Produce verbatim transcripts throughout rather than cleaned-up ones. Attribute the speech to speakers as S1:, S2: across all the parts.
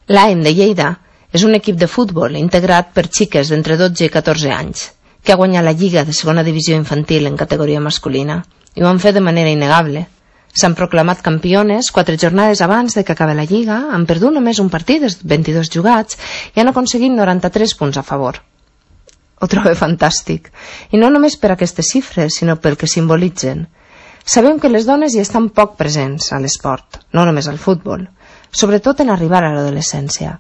S1: L'A E M de Lleida és un equip de futbol integrat per xiques d'entre dotze i catorze anys, que ha guanyat la Lliga de segona divisió infantil en categoria masculina, i ho han fet de manera innegable. S'han proclamat campiones quatre jornades abans de que acabi la Lliga, han perdut només un partit dels vint-i-dos jugats i han aconseguit noranta-tres punts a favor. Ho trobo fantàstic, i no només per aquestes xifres, sinó pel que simbolitzen. Sabem que les dones hi estan poc presents a l'esport, no només al futbol, sobretot en arribar a l'adolescència.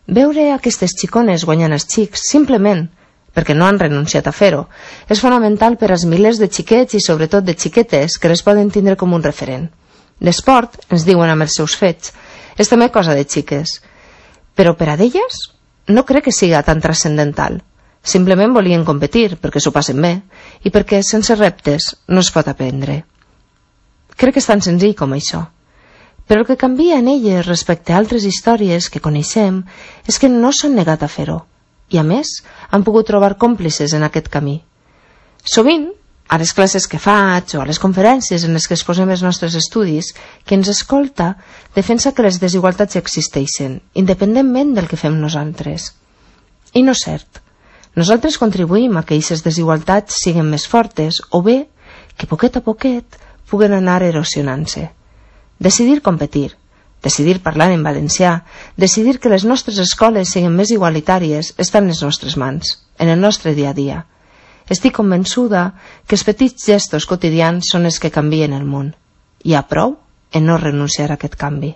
S1: Veure aquestes xicones guanyant els xics, simplement perquè no han renunciat a fer-ho, és fonamental per als milers de xiquets i sobretot de xiquetes que les poden tindre com un referent. L'esport, ens diuen amb els seus fets, és també cosa de xiques, però per a d'elles no crec que siga tan transcendental. Simplement volien competir perquè s'ho passen bé i perquè sense reptes no es pot aprendre. Crec que és tan senzill com això. Però el que canvia en elles respecte a altres històries que coneixem és que no s'han negat a fer-ho i, a més, han pogut trobar còmplices en aquest camí. Sovint, a les classes que faig o a les conferències en les que exposem els nostres estudis, qui ens escolta defensa que les desigualtats existeixen, independentment del que fem nosaltres. I no és cert. Nosaltres contribuïm a que aquestes desigualtats siguin més fortes o bé que poquet a poquet puguen anar erosionant-se. Decidir competir, decidir parlar en valencià, decidir que les nostres escoles siguin més igualitàries està en les nostres mans, en el nostre dia a dia. Estic convençuda que els petits gestos quotidians són els que canvien el món. Hi ha prou en no renunciar a aquest canvi.